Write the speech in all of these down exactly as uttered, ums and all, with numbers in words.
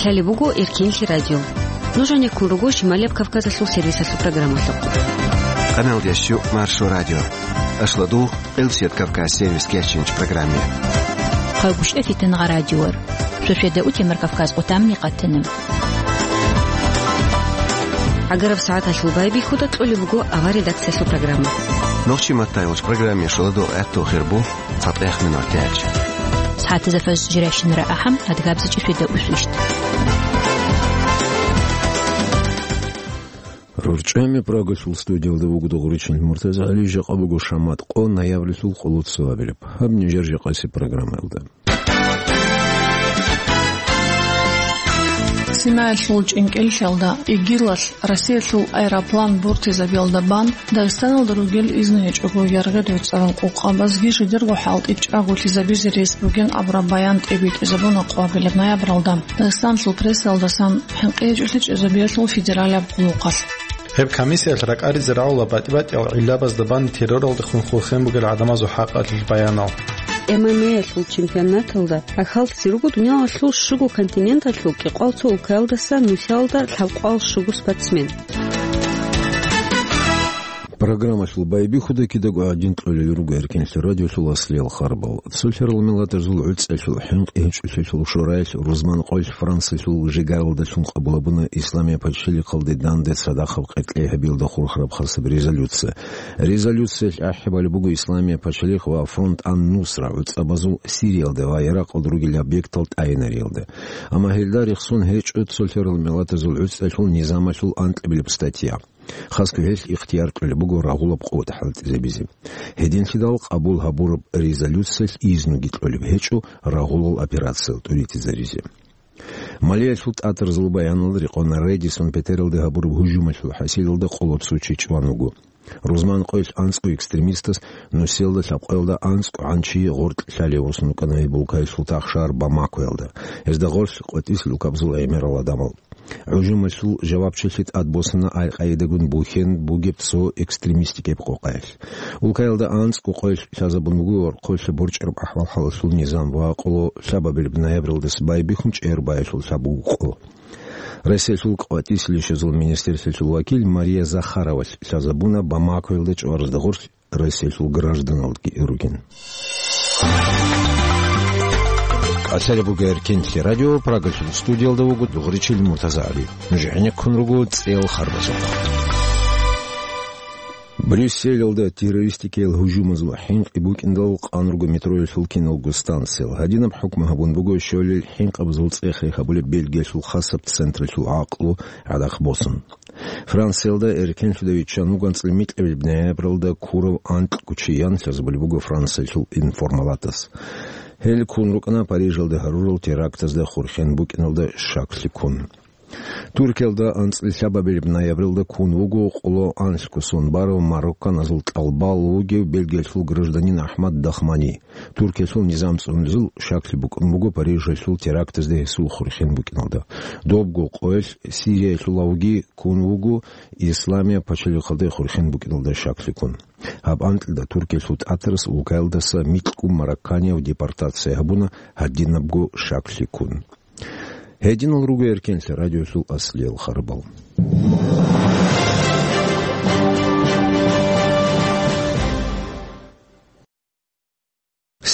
Лъалеб буго Эркенлъи радио. Нуж гьанеккун руго Шималияб Кавказалъул сервисалъул программалъухъ. Къаналдеш чӀу Маршо радио. Ашлу дугъ Къилсият Кавказ сервис кечинч программе. Хъагушев Фитнагъа радиор. Шошеда утемар Кавказ къутамни къатана. ГӀагараб сагӀаталъул байбихьуда кьолеб буго авар редакциялъул программа. Нохчи маттайолч программе шуладо гӀатту хирбу. ЦатӀех минуталъ. СагӀатазда фажр жирайщинара ахӀам, адгабзичӀи шведа усвищ. РорчӀами Прагалъул студиялда вуго дугъричӀел МуртазагӀали, жакъа буго шамат къо, ноябрилъул къоло цо абилеб. Гьаб нижер жакъаси программаялда. Синаялъул чӀинкӀиллъалда ИГИЛалъ Россиялъул аэроплан бортизабиялда бан Дагъистаналда ругел изну гьечӀого яргъи дурцӀарал къокъабазги жидерго хӀалтӀи чӀаголъизабизе рес бугин абураб баян тӀибитӀизабуна къвабилеб ноябралда. Дагъистаналъул прессаялдасан хӀинкъи гьечӀолъи чӀезабиялъул федералияб къуллукъалъ. Гьеб комиссиялъ ракӀаризе рагӀула батӀи-батӀиял гӀиллабазда бан терроралдехун хурхен бугел гӀадамазул хӀакъалъулъ баянал. ММА-ялъул чемпионаталда ахӀаллъизе руго дуниялалъул щуго континенталъул кӀикъоял цо улкаялдаса нусиялда лъабкъоял щуго спортсмен. Программалъул байбихьуда кидаго гӀадин кьолел руго Эркенлъи радиолъул аслиял харбал. Цолъарал миллатазул гӀуцӀалъул хӀинкъи гьечӀолъиялъул шораялъ рузман къоялъ Франциялъул жигаралдалъун къабулабуна Исламия пачалихъалде данде цадахъаб къеркьей гьабиялда хурхараб хасаб резолюция. Резолюциялъ ахӀи балеб буго Исламия пачалихъ ва Фронт ан-Нусра гӀуцӀабазул Сириялда ва Иракъалда ругел объектал тӀайинариялда. Амма гьелда рехсон гьечӀо цолъарал миллатазул гӀуцӀалъул низамалъул анкьабилеб статья. Хасго гьелъ ихтияр кьолеб буго рагъулаб къуват хӀалтӀизабизе. Гьединлъидал къабул гьабураб резолюциялъ изнуги кьолеб гьечӀо рагъулал операциял тӀуритӀизаризе. Малиялъул тӀатарзул баяналда рекъон Редисон Петералде гьабураб гьужумалъул хӀасилалда къоло цо чи чӀван вуго. Рузман къоялъ анцӀго экстремистас нусиялда лъабкъоялда анцӀго гӀанчи гъоркь лъалевусун вукӀана гьеб улкаялъул тахшар Бамакоялда. Гьезда гъорлъ къватӀисел улкабазул гӀемерал гӀадамал. ГӀужумалъул жавабчилъи тӀадбосана Аль-Къаидагун бухьен бугеб цо экстремистикаб къокъаялъ. Улкаялда анцӀго къоялъ лъазабун буго ва къоялъ борчӀараб ахӀвал-хӀалалъул низам ва къоло лъабабилеб ноябралдаса байбихьун чӀегӀер баялъул лъабго къо. Россиялъул къватӀисел ишазул министерствоялъул вакил Мария Захаровалъ лъазабуна Бамакоялда чӀваразда гъорлъ Россиялъул гражданалги ругин. Лъалеб буго Эркенлъи радио, Прагалъул студиялда вуго дугъричил Муртазагьаби. Нуж гӀенеккун руго цӀел харбазухъ. Брюсселалда террористикиял гьужумазул хӀинкъи букӀиндал къан руго метроялъул киналго станциял. Гьадинаб хӀукму гьабун буго щолел хӀинкъабазул цӀех-рех гьабулеб Бельгиялъул хасаб централъул гӀакълу гӀадахъ босун. Франциялда эркенлъуда виччан вуго анцӀила микьабилеб ноябралда ккурав анкьго чи ян лъазабулеб буго Франциялъул информалатас. Гьел ккун рукӀана Парижалда гьарурал терактазда хурхен букӀиналда щаклъи ккун. Туркиялда анцӀила лъабабилеб ноябралда ккун вуго къоло анлъго сон барав марокканазул тӀалбал вугев Бельгиялъул гражданин АхӀмад Дахмани. Туркиялъул низам цӀунулезул щаклъи букӀун буго Парижалъул терактазда гьесул хурхен букӀиналда. Добго къоялъ Сириялъулавги ккун вуго Исламия пачалихъалда хурхен букӀиналда щаклъи ккун. Гьаб анкьида Туркиялъул тӀатарас улкаялдаса микьго марокканияв депортация гьабуна гьадинабго щаклъи ккун. Гьединал руго Эркенлъи радиолъул аслиял харбал.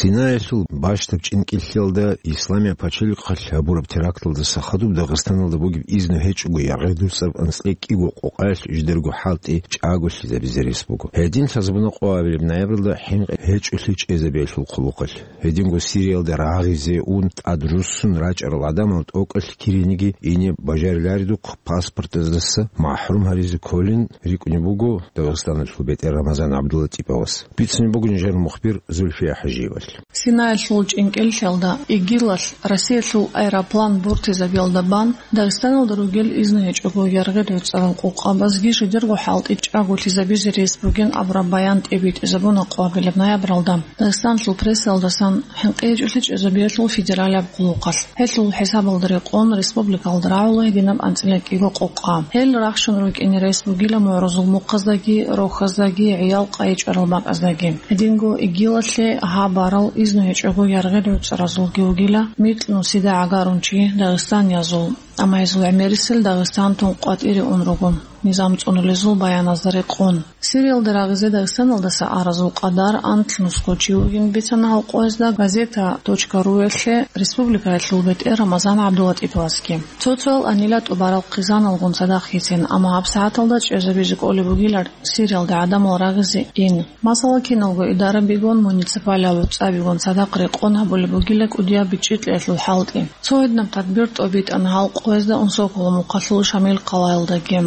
Синаялъул бащдаб чӀинкӀиллъиялда Исламия пачалихъалъ гьабураб теракталдаса хадуб Дагъистаналда бугеб изну гьечӀого яргъи дурцӀараб анцӀила кӀиго къокъаялъ жидерго хӀалтӀи чӀаголъизабизе рес буго. Гьедин лъазабуна къоабилеб ноябралда хӀинкъи гьечӀолъи чӀезабиялъул хъулухъалъ. Гьединго Сириялда рагъизе ун тӀад руссун рачӀарал гӀадамал тӀокӀалъ кириниги ине бажариларидухъ паспортаздаса махӀрум гьаризе кколин рикӀкӀунеб буго Дагъистаналъул бетӀер Рамазан ГӀабдуллатӀиповас. Бицунеб буго нижер мухбир Зульфия ХӀажиевалъ. Синаялъул чӀинкӀиллъиялда ИГИЛалъ Россиялъул аэроплан бортизабиялда бан Дагъистаналда ругел изну гьечӀого яргъи дурцӀарал къокъабазги жидерго хӀалтӀи чӀаголъизабизе рес бугин абураб баян тӀибитӀизабуна къоабилеб ноябралда. Дагъистанлъул прессаялдасан хӀинкъи гьечӀолъи чӀезабиялъул федералияб къуллукъалъ. Гьелъул хӀисабалда рекъон республикалда рагӀула гьединаб анцӀила кӀиго къокъа. Гьел рахщун рукӀине рес бугила мугӀрузул мухъаздаги, рохьаздаги, гӀиял къайи чӀварал бакӀаздаги. Гьединго ИГИЛалъе гьаб барал Изну гьечӀого яргъел гӀуцӀаразулги вугила, микьнусида гӀагарун чи дагъистаниязул, амма гьезул гӀемерисел Дагъистантун къватӀире ун руго, низам цӀунулезул баяназда рекъон. Сириялда рагъизе Дагъистаналдаса аразул къадар анлънусго чи вугин бицана гьал къоязда газета точка ру-ялъе республикаялъул бетӀер Рамазан ГӀабдулатӀиповасги. Цо-цоял анила тӀубарал хъизаналгун цадахъ йицин, амма гьабсагӀаталда чӀезабизе кӀолеб бугилар Сириялда гӀадамал рагъизе ин. Масала, киналго идарабигун, муниципалияб гӀуцӀабигун цадахъ рекъон гьабулеб бугила кӀудияб бичӀчӀи кьеялъул хӀалтӀи. Цо гьединаб тадбир тӀобитӀана гьал къоязда Унсоколо мухъалъул Шамил къалаялдаги.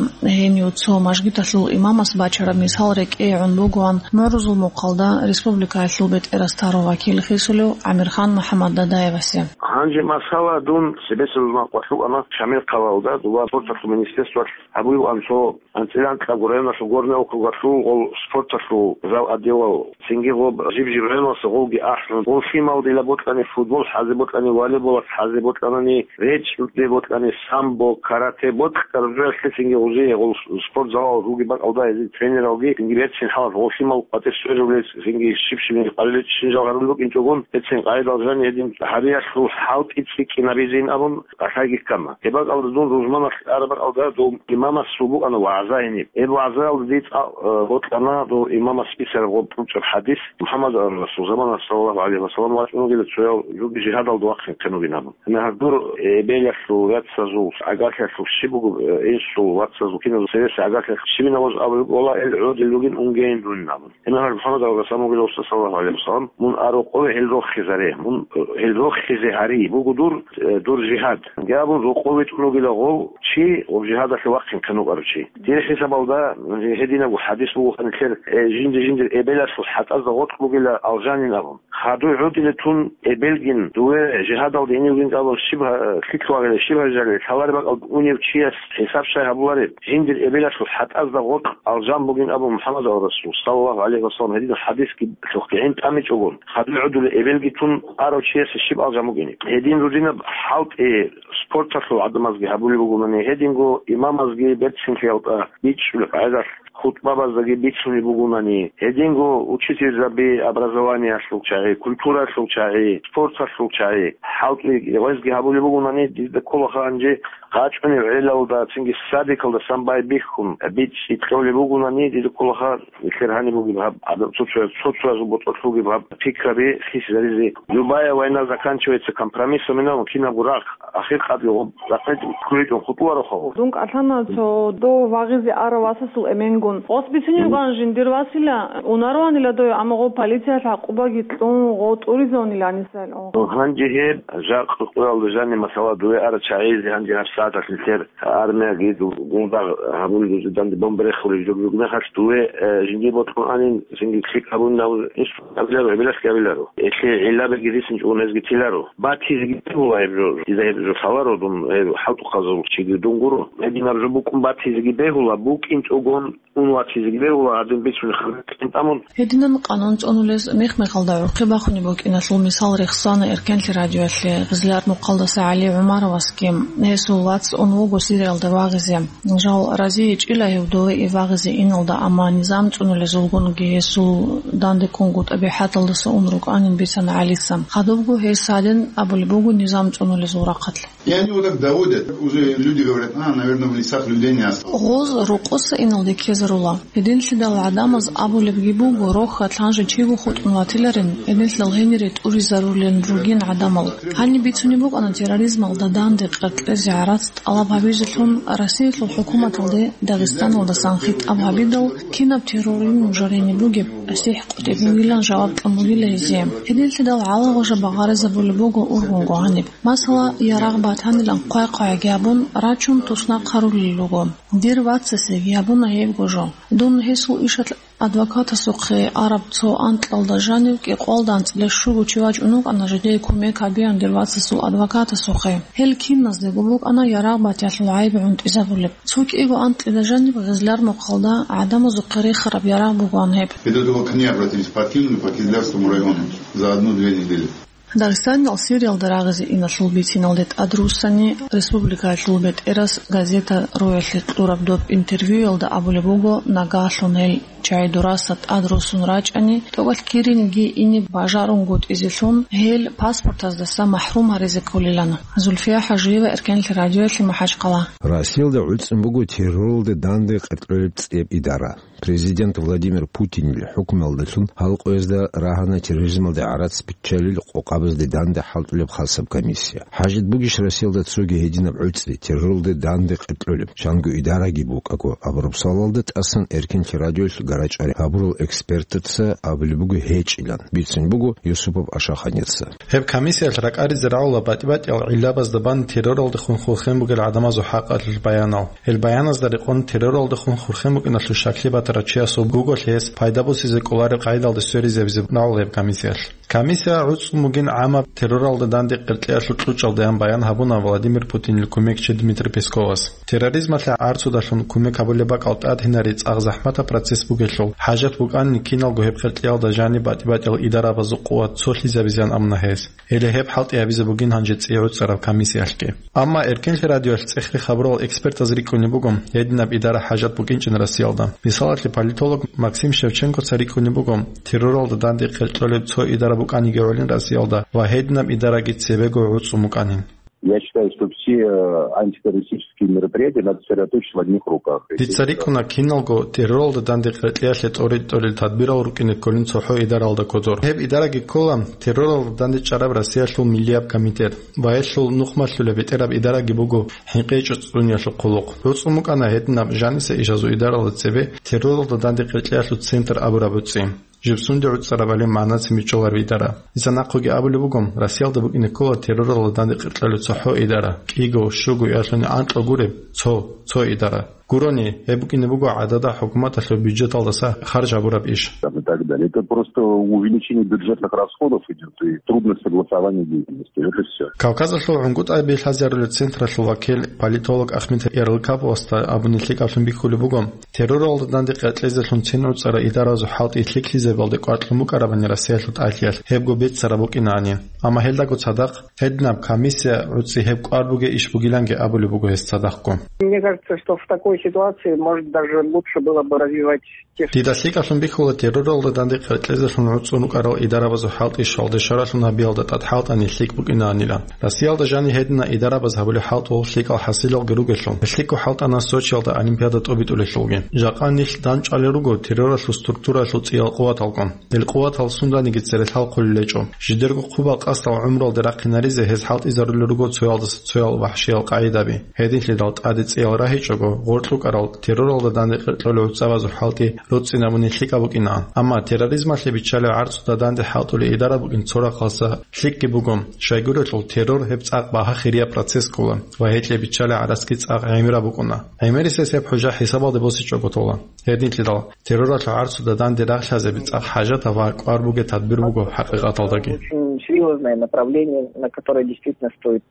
Гьенив цо мажгиталъул имамас бачараб мисал рекӀее гӀун бугоан МагӀрузул мухъалда республикаялъул бетӀерасда гьарун вакил хисулев ГӀамирхан МухӀаммад Дадаевасе. Гьанже масала дун цебесеб махъалъув ана Шамил къалаялда, дова спорталъул министерствоялъ гьабулев ан цо анцӀила анкьабго районалъул, Горный округалъул гъол спорталъул зал отделал, цинги гъоб жиб-жиб районалъа гъолги ахӀун, гъол лъимал дила бокьани, футбол хӀазе бокьани, волейболас хӀазе бокьанани, речӀчӀуде бокьани, самбо, карате бокьараб жоялъе цинги гъозие гъол спортзалал руги бакӀалда гьезие тренералги цинги берцин хӀалат гъол лъимал къватӀир сверулез цинги щиб-щиб къалиличӀищин жал гьарулел букӀинчӀогон, берцин къайдал жани гьедин гьариялъул хӀалтӀи цӀикӀкӀинабизин абун, кӀалъайги ккана. Гьеб бакӀалда дун рузманалъ араб бакӀалда дов имамас букӀана вагӀза гьениб. Гьеб вагӀзаялда дие цӀа-, э, бокьана дов имамас бицараб гъоб кьучӀаб хӀадис, МухӀаммад Расул замана, саллаллагьу гӀалайгьи ва саллам, вачӀунугила цоял жуги жигьадалда вахъин хъен вугин абун. Гьанже гьадур, э, эбелалъул, яцазул, гӀагарлъиялъул щиб буго, э, инсул, вацазул, киназул цевеса гӀагарлъиялъ щибинаваз абулеб, вала, эл гӀодил ругин унгейин дунин абун. Гьанже МухӀаммад аварагас абунгила, саллаллагьу гӀалайгьи ва саллам, мун а рокъове гьел рохизаре, мун, э, гьел рохизе гьари буго дур, э, дур жигьад. Гьабун рокъове тӀун вугила гъов чи, гъоб жигьадалъе вахъин хъен вукӀарав чи. Дир хӀисабалда, э, гьединабго хӀадис буго, гьанилъер, э, жинди-жиндир эбелалъул хӀатӀазда гъоркь бугила алжанин абун. Хадуй гӀодиле тун эбелгин, дуве жигьадалде иневгин абун щиб гьа-, лъикӀ вагӀила, щиб гьаржали, лъалареб бакӀалда унев чияс хӀисаб щай гьабулареб? Жиндир эбелалъул хӀатӀазда гъоркь алжан бугин абун МухӀаммад аварагас, саллаллагьу гӀалайгьи ва саллам, гьединал хӀадисги лъухъгӀин тӀамичӀогон, хадуй гӀодуле эбелги тун арав чиясе щиб алжан бугин? Гьедин рудинаб хӀалтӀи спорталъул гӀадамазги гьабулеб бугони, гьединго имамазги берцинлъиялда бичӀчӀулеб къагӀидалъ хутӀбабаздаги бицунеб бугунани, гьединго учительзаби образованиялъул чагӀи, культураялъул чагӀи, спорталъул чагӀи, хӀалтӀи гъезги гьабулеб бугунани, дида кколаха гьанже къачӀунеб гӀелалда, цинги садикалдасан байбихьун, бичӀчӀи кьолеб бугунани, дида кколаха нилъер гьаниб бугеб гьаб, гӀадаб цо-цо-, цо-цоязул ботӀролъ бугеб гьаб пикраби хисизаризе. Любая война заканчивается компромиссом, кинабго рагъ ахир къадлъи гъоб рахъинчӀ ккуричӀун хутӀулароха. Дун кӀалъана цо дов вагъизе арав васасул эменгун. Гъос бицунеб букӀана жиндир васила, унароанила дой, амма гъо полициялъ гӀакъубаги кьун, гъо тӀуризавунила гьанисал. Гьанже гьеб жакъа къоялда жаниб масала, дуве ара чагӀизе гьанже гьаб сагӀаталъ нилъер армияги ду-, гунда гьабулел данде бомба рехулел жо-, жо-, мехалъ дуве, э, жиндир бокьун анин, жинги лъикӀ гьабунин абун, иш абиларо, гьебилалъги абиларо. Гьелъие гӀиллабиги рисинчӀого гьезги тиларо. Батизеги бегьула гьеб жо, дида гьеб жо лъаларо дун, гьеб хӀалтӀухъазул чиги дун гуро. Гьединаб жо букӀун батизеги бегьула, букӀинчӀогон ун ватизеги бегьула, гьадин бицунеб хабар кьин тӀамун. Гьединан къанун цӀунулез мех-мехалда гӀурхъи бахунеб букӀиналъул мисал рехсана Эркенлъи радиоялъе Гъизлиярд мухъалдаса ГӀали ГӀумаровасги. Гьесул вац ун вуго Сириялда вагъизе. Жал разийичӀила гьев дове вагъизе иналда, амма низам цӀунулезулгунги гьесул данде ккунгутӀа бихӀаталдаса ун рукӀанин бицана ГӀалица. Хадубго гьес гьадин абулеб буго низам цӀунулезул рахъалъ. И они вот так доводят, уже люди говорят: «А, наверное, в лесах людей не осталось». Гъоз рокъоса иналде ккезарула. Гьединлъидал гӀадамаз абулебги буго, рохьалъ гьанже чиго хутӀун ватиларин, гьединлъидал гьенире тӀуризарулел ругин гӀадамал. Гьаниб бицунеб букӀана терроризмалда данде къеркьезе гӀарац тӀалаб гьабизелъун Россиялъул хӀукуматалде Дагъистаналдасан хитӀаб гьабидал, кинаб террорин нужерине бугеб, асихӀ къотӀи бугилан жаваб кьун бугила гьезие. Гьединлъидал гӀалагъужа багъаризабулеб буго ургъунго гьаниб. Масала, ярагъ батанилан хъвай-хъвайги гьабун, рачун туснахъ гьарулел руго. Дир вацасеги гьабуна гьебго жо. Дун гьесул ишалъ адвокатасухъе араб цо анкьалда жанив кӀикъоялда анцӀила щуго чи вачӀун вукӀана жидее кумек гьабеян дир вацасул адвокатасухъе. Гьел киназдего букӀана ярагъ батиялъул гӀайиб гӀунтӀизабулеб. Цо кӀиго анкьида жаниб Гъизлиярд мухъалда гӀадамазухъе рехараб ярагъ бугоан гьеб. Это только к ней обратились, по Киму, по Кизлярскому району за одну-две недели. Дагъистаниял Сириялда рагъизе иналъул бициналде тӀадруссани, республикаялъул бетӀерас газета «Роялъе» кьураб доб интервьюялда абулеб буго, нагагьлъун гьел чагӀи дураса тӀадруссун рачӀани, тӀокӀалъ киринги ине бажарунгутӀизелъун гьел паспортаздаса махӀрум гьаризе кколилан. Зульфия Хажиева, Эркенлъи радиоялъе, МахӀачхъала. Россиялда гӀуцӀун буго терроралда данде къеркьолеб цӀеб идара. Президент Владимир Путинил хӀукмуялдалъун гьал къоязда рагьана терроризмалде гӀарац биччалел къокъабазде данде хӀалтӀулеб хасаб комиссия. ХӀажат бугищ Россиялда цоги гьединаб гӀуцӀи, терроралде данде къеркьолеб, чанго идараги букӀаго абураб суалалда тӀасан Эркенлъи радиоялъ гарачӀа гьабурал экспертаца абулеб буго гьечӀилан, бицун буго Юсупов Ашаханица. Гьеб комиссиялъ ракӀаризе рагӀула батӀи-батӀиял гӀиллабазда бан терроралдехун хурхен бугел гӀадамазул хӀакъалъулъ баянал. Гьел баяназда рекъон терроралдехун хурхен букӀиналъул щаклъи батарав чиясул буголъ гьес пайда босизе кӀолареб къайдалде сверизабизе рагӀула гьеб комиссиялъ. Комиссия гӀуцӀун бугин гӀамаб терроралда данде къеркьеялъул кьучӀалдаян баян гьабуна Владимир Путинил кумекчи Дмитрий Песковас. Терроризмалъе гӀарцудалъун кумек гьабулеб бакӀал тӀадгьинари цӀакъ захӀматаб процесс бугелъул, хӀажат букӀанни киналго гьеб къеркьеялда жаниб батӀи-батӀиял идарабазул къуват цолъизабизеян абуна гьес. Гьеле гьеб хӀалтӀи гьабизе бугин гьанже цӀи гӀуцӀараб комиссиялъги. Амма Эркенлъи радиоялъ цӀехги хабурал экспертаз рикӀкӀунеб буго, гьединаб идара хӀажат букӀинчӀин Россиялда. Мисалалъе, политолог Максим Шевченкоца рикӀкӀунеб буго, терроралда данде къеркьолеб цо идара букӀаниги гӀолин Россиялда ва гьединаб идараги цебего гӀуцӀун букӀанин. Я считаю, что все, э, антитеррористические мероприятия надо сосредоточить в одних руках. Дица рикӀкӀуна, киналго терроралда данде къеркьеялъе тӀоритӀулел тадбирал рукӀине кколин цохӀо идаралда кодор. Гьеб идараги ккола терроралда данде чӀараб Россиялъул миллияб комитет ва гьелъул нухмалъулеб бетӀераб идараги буго ХӀинкъичӀо цӀуниялъул хъулухъ. ГӀуцӀун букӀана гьединаб жаниса ишазул идаралда цебе терроралда данде къеркьеялъул центр абураб гӀуцӀи. Жиб сунде гӀуцӀарабали магӀнацин бичӀчӀолар идараб. Дица нахъеги абулеб буго, Россиялда букӀине ккола терроралда данде къеркьалев цохӀо идара, кӀиго, щуго, ялъуни анкьа гуреб, цо, цо идара. Гурони, гьеб букӀине буго гӀадада хӀукуматалъул бюджеталдаса харж гьабураб иш. Там и так далее. Это просто увеличение бюджетных расходов идёт и трудность согласования деятельности. Вот и всё. Кавказалъул гӀунгутӀаби лъазарулел централъул вакил, политолог Ахмед Ярлыкаповасда абуни лъикӀаблъун бихьулеб буго, терроралда данде къеркьезелъун цин гӀуцӀара идаразул хӀалтӀи лъикӀлъизабалде кӀваркьун букӀарабани Россиялъул тӀалъиялъ гьебго беццараб букӀинани. Амма гьелдаго цадахъ гьединаб комиссия гӀуцӀи гьеб кӀвар бугей иш бугиланги абулеб буго гьес цадахъго. Мне кажется, что в такой ситуации, может, даже лучше было бы развивать те... Дида лъикӀаблъун бихьула терроралда данде къеркьезелъун гӀуцӀун рукӀарал идарабазул хӀалтӀи щвалде шаралъун гьабиялда тӀад хӀалтӀани лъикӀ букӀинанила. Россиялда жани гьедина идарабаз гьабулеб хӀалтӀул лъикӀал хӀасилалги ругелъул, лъикӀго хӀалтӀана Сочиялда Олимпиада тӀобитӀулелъулги. Жакъа нилъ данчӀвалел руго терроралъул структуралъул цӀиял къуваталкъун. Гьел къуватал сунданиги цере лъалхъулел гьечӀо. Жидерго хъубал къасдал гӀумруялде рахъинаризе гьез хӀалтӀизарулел руго цоялдаса цоял вахӀшиял къагӀидаби. Гьединлъидал тӀаде цӀиял рагьичӀого, гъоркь рукӀарал терроралда данде къеркьолел гӀуцӀабазул хӀалтӀи руцӀцӀинабуни лъикӀаб букӀинаан. Амма терроризмалъе биччалев гӀарцуда данде хӀалтӀулей идара букӀин цо рахъалса лъикӀги буго, щайгурелъул террор гьеб цӀакъ багьа хирияб процесс ккола ва гьелъе биччалей гӀарацги цӀакъ гӀемераб букӀуна. ГӀемерисез гьеб хӀужа хӀисабалде босичӀого тола. Гьединлъидал терроралъул гӀарцуда данде рагълъазеби цӀакъ хӀажатаб ва кӀвар бугей тадбир буго хӀакъикъаталдаги. Очень серьёзное направление, на которое действительно стоит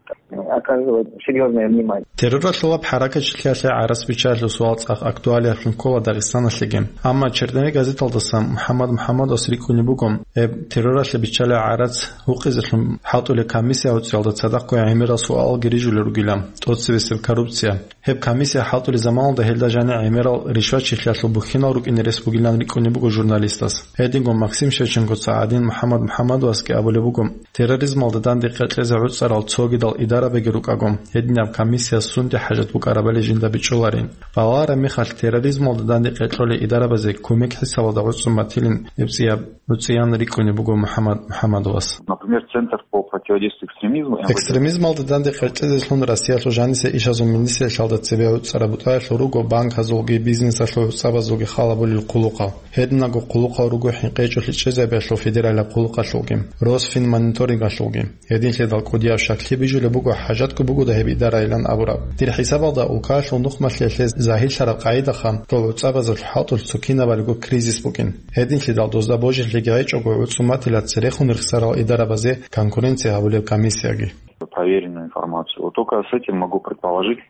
оказывать серьёзное внимание. Терроралъулаб хӀаракатчилъиялъе гӀарац биччалъул суал цӀакъ актуалиялъун ккола Дагъистаналъеги. Амма «Черновик» газеталдаса МухӀаммад МухӀаммадовас рикӀкӀунеб буго, гьеб терроралъе биччалей гӀарац гьукъизелъун хӀалтӀулей комиссия гӀуцӀиялда цадахъго гӀемерал суалалги рижулел ругилан, тӀоцебесеб коррупция. Гьеб комиссия хӀалтӀулей заманалда гьелда жани гӀемерал ришватчилъиялъул бухьинал рукӀине рес бугилан рикӀкӀунеб буго журналистас. Гьединго Максим Шевченкоца гӀадин МухӀаммад МухӀаммадовасги абулеб буго, терроризмалда данде къеркьезе гӀуцӀарал цогидал идарабиги рукӀаго, гьединаб комиссияс сунде хӀажат букӀарабали жинда бичӀчӀуларин. Балагьараб мехалъ, терроризмалда данде къеркьолей идарабазе кумек хӀисабалда гӀуцӀун батилин гьеб цӀияб гӀуцӀиян рикӀкӀунеб буго МухӀаммад МухӀаммадовас. Например, Центр по противодействию экстремизму МВД. Экстремизмалда данде къеркьезелъун Россиялъул жаниса ишазул министрлъиялда цебе гӀуцӀараб бутӀаялъул руго банказулги бизнесалъул гӀуцӀабазулги халабулел хъулухъал. Гьединаго хъулухъал руго хӀинкъичӀолъи чӀезабиялъул федералияб хъулухъалъулги, Росфинмониторингалъулги. Гьединлъидал кӀудияб щаклъи бижулеб буго хӀажатго бугода гьеб идарайилан абураб. Дир хӀисабалда, улкаялъул нухмалъиялъе загьирлъараб къагӀидаха, дол гӀуцӀабазул хӀалтӀулъ цо кинабалиго кризис букӀин. Гьединлъидал дозда божилъиги гьечӀого гӀуцӀун батила церехун рехсарал идарабазе конкуренция гьабулеб комиссияги. Проверенную информацию. Вот только с этим могу предположить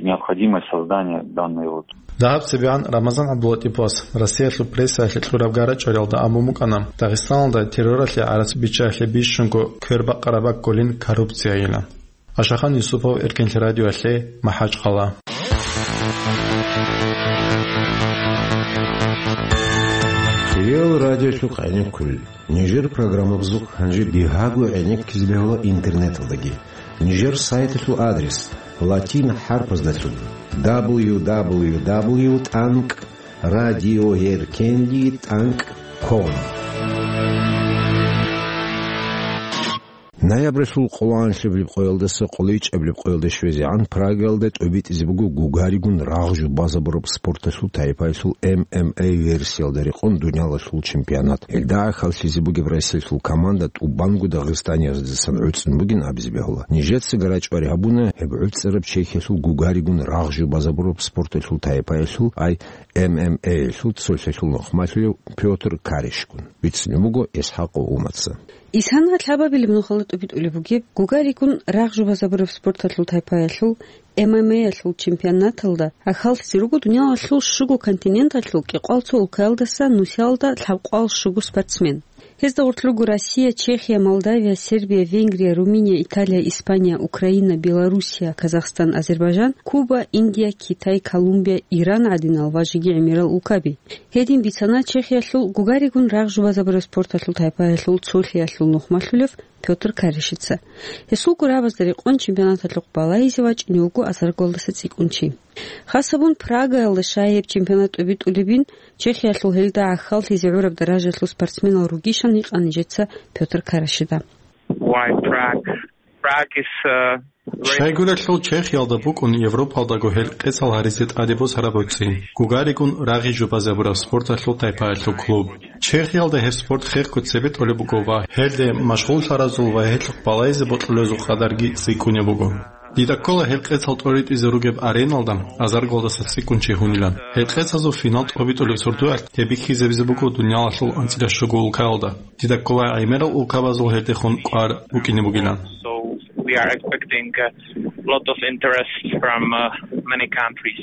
необходимость создания данной вот. Дагьаб цебегӀан Рамазан ГӀабдулатӀиповас Россиялъул прессаялъе кьураб гарачӀвариялда абун букӀана, Дагъистаналда терроралъе гӀарац биччаялъе бищунго квербакъараб баккулин коррупциайилан. Ашахан Юсупов, Эркенлъи радиоялъе, МахӀачхъала. Хириял радиолъухъ гӀенеккулел. Нижер программабазухъ гьанже бигьаго гӀенеккизе бегьула интернеталдаги. Нижер сайталъул адрес латин хӀарпаздалъун: дабл ю дабл ю дабл ю тӀанкӀ радиоеркенлъи тӀанкӀ ком. Ноябралъул къолоанлъабилеб къоялдаса къолайчӀабилеб къоялде щвезегӀан Прагаялда тӀобитӀизе буго гугаригун рагъ жубазабураб спорталъул тайпаялъул М М А версиялда рекъон дуниялалъул чемпионат. Гьелда гӀахьаллъизе бугеб Россиялъул команда тӀубанго дагъистанияздасан гӀуцӀун бугин абизе бегьула. Нижеца гарачӀвари гьабуна гьеб гӀуцӀараб Чехиялъул гугаригун рагъ жубазабураб спорталъул тайпаялъул, ай, М М А-ялъул цолъалъул нухмалъулев Пётр Каришгун. Бицунеб буго ИсхӀакъов Умаца. Исана лъабабилеб нухалда тӀубитӀулеб бугеб, гугаригун рагъ жубазабураб спорталъул тайпаялъул, М М А-ялъул чемпионаталда гӀахьаллъизе руго дуниялалъул щуго континенталъул кӀикъоялда цо улкаялдаса нусиялда лъабкъоялда щуго спортсмен. Гьезда гъорлъ руго Россия, Чехия, Молдавия, Сербия, Венгрия, Румыния, Италия, Испания, Украина, Белоруссия, Казахстан, Азербайджан, Куба, Индия, Китай, Колумбия, Иран гӀадинал ва жеги гӀемерал улкаби. Гьедин бицана Чехиялъул гугаригун рагъ жубазабураб спорталъул тайпаялъул цолъиялъул нухмалъулев Пётр Каришица. Гьесул гурабазда рекъон чемпионаталъухъ балагьизе вачӀине вуго азаргалдаса цӀикӀкӀун чи. Хас гьабун Прагаялда щай гьеб чемпионат тӀубитӀулебин, Чехиялъул гьелда гӀахьаллъизе гӀураб даражаялъул спортсменал ругищан гьикъана нижеца Пётр Каришида. Why Prague? Prague is, uh, Щайгурелъул Чехиялда букӀун Европалдаго гьел къецал гьаризе тӀаде босараб гӀуцӀи, гугаригун рагъ жубазабураб спорталъул тайпаялъул клуб. Чехиялда гьеб спорт хехго цебетӀолеб буго ва гьелде машгъуллъаразул ва гьелъухъ балагьизе бокьулезул къадарги цӀикӀкӀунеб буго. Дида ккола гьел къецал тӀоритӀизе ругеб ареналда азаргалдаса цӀикӀкӀун чи гьунилан. Гьел къецазул финал тӀобитӀулеб сордоялъ гьеб бихьизабизе буго дуниялалъул анцӀила щуго улкаялда. Дида ккола гӀемерал улкабазул гьелдехун кӀвар букӀине бугилан. So we are expecting a lot of interest from, uh, many countries.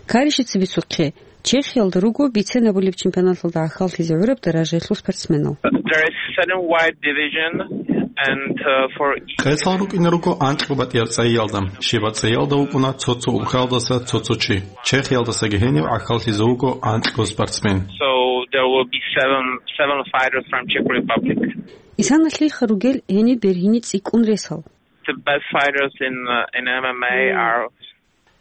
Каришица бицухъе, Чехиялда руго бицен абулеб чемпионаталда гӀахьаллъизе гӀураб даражаялъул спортсменал. There is seven wide division and, uh, for each Къецал рукӀине руго анкьго батӀияб цӀайиялда. Щибаб цӀайиялда вукӀуна цо-цо улкаялдаса цо-цо чи. Чехиялдасаги гьенив гӀахьаллъизе вуго анкьго спортсмен. So there will be seven, seven fighters from Czech Republic. Исана лъиха ругел гьениб бергьине цӀикӀкӀун ресал. The best fighters in, uh, in M M A are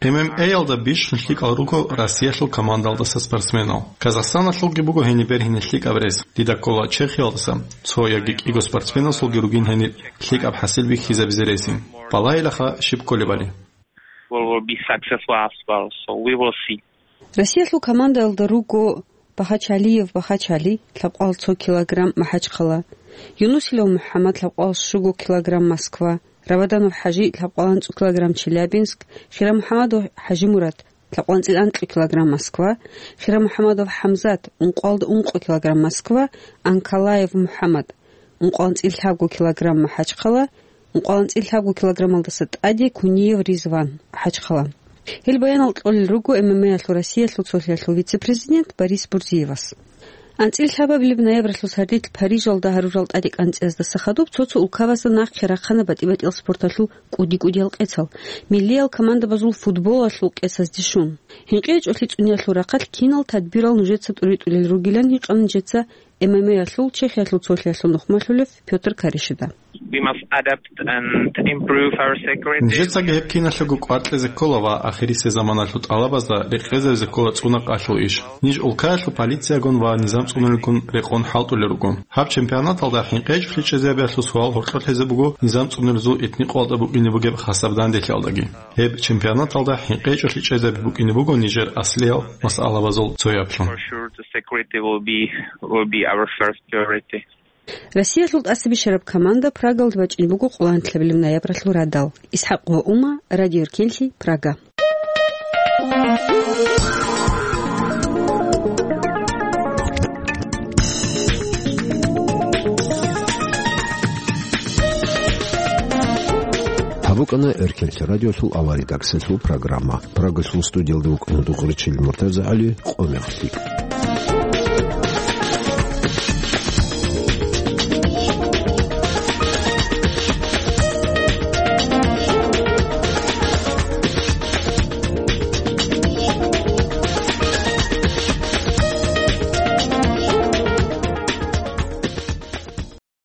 М М А-ялда бищун лъикӀал руго Россиялъул командалдаса спортсменал. Казахстаналъулги буго гьениб бергьине лъикӀаб рес. Дида ккола Чехиялдаса цо яги кӀиго спортсменасулги ругин гьениб лъикӀаб хӀасил бихьизабизе ресин. Балагьилаха щиб кколебали. Will, will be successful as well, so we will see. Россиялъул командаялда руго Бахачалиев Бахачали, лъабкъоялда цо килограмм, МахӀачхъала, Юнусилев МухӀаммад, лъабкъоялда щуго килограмм, Москва, Рабаданов ХӀажи, лъабкъоялда анцӀго килограмм, Челябинск, Хирамухьамадов ХӀажимурад, лъабкъоялда анцӀила анкьго килограмм, Москва, Хирамухьамадов ХӀамзат, ункъоялда ункъо килограмм, Москва, Анкалаев МухӀаммад, ункъоялда анцӀила лъабго килограмм, МахӀачхъала, ункъоялда анцӀила лъабго килограммалдаса тӀаде Куниев Ризван, МахӀачхъала. Гьел баянал кьолел руго М М А-ялъул Россиялъул цолъиялъул вице-президент Борис Бурзиевас. АнцӀила лъабабилеб ноябралъул сардилъ Парижалда гьарурал тӀадекӀанцӀияздаса хадуб цо-цо улкабазда нахъе рахъана батӀи-батӀиял спорталъул кӀуди-кӀудиял къецал, миллиял командабазул футболалъул къецазде щун. ХӀинкъи гьечӀолъи цӀуниялъул рахъалъ кинал тадбирал нужеца тӀуритӀулел ругилан гьикъана нижеца М М А-ялъул Чехиялъул цолъиялъул нухмалъулев Пётр Каришида. We must adapt and improve our security. Нижецаги гьеб киналъего кӀвар кьезе ккола ва ахирисеб заманалъул тӀалабазда рекъезабизе ккола цӀунахъалъул иш. Ниж улкаялъул полициягун ва низам цӀунулелгун рекъон хӀалтӀулел руго. Гьаб чемпионаталда хӀинкъи гьечӀолъи чӀезабиялъул суал гьоркьоблъизе буго низам цӀунулезул этникъоялда букӀине бугеб хасаб данделъиялдаги. Гьеб чемпионаталда хӀинкъи гьечӀолъи чӀезаби букӀине буго нижер аслиял масъалабазул цояблъун. For sure, the security will be, will be our first priority. Россиялъул тӀасабищараб команда Прагалда бачӀин буго къолоанлъабилеб ноябралъул радал. ИсхӀакъ ва Ума, Радио Эркенлъи, Прага. БукӀана Эркенлъи радиолъул авария редакциялъул программа. Прагалъул студиялда вукӀана дугъричил МуртазагӀали, къо мехалъ.